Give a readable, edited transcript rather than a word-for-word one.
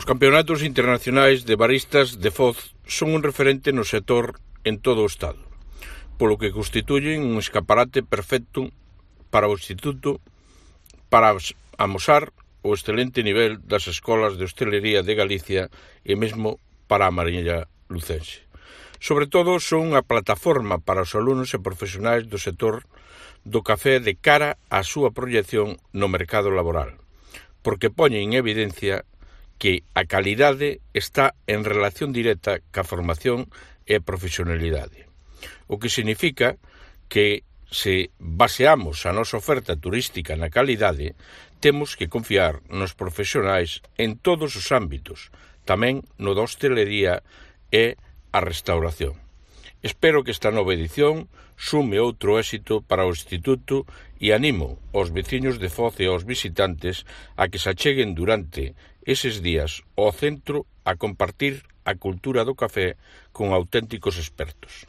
Os campeonatos internacionais de baristas de Foz son un referente no sector en todo o Estado, polo que constituyen un escaparate perfecto para o Instituto para amosar o excelente nivel das escolas de hostelería de Galicia e mesmo para a Mariña lucense. Sobre todo, son unha plataforma para os alumnos e profesionais do sector do café de cara á súa proyección no mercado laboral, porque poñen en evidencia que a calidade está en relación directa ca formación e a profesionalidade, o que significa que se baseamos a nosa oferta turística na calidade, temos que confiar nos profesionais en todos os ámbitos, tamén no da hostelería e a restauración. Espero que esta nova edición sume outro éxito para o Instituto e animo aos veciños de Foz e aos visitantes a que se acheguen durante eses días ao centro a compartir a cultura do café con auténticos expertos.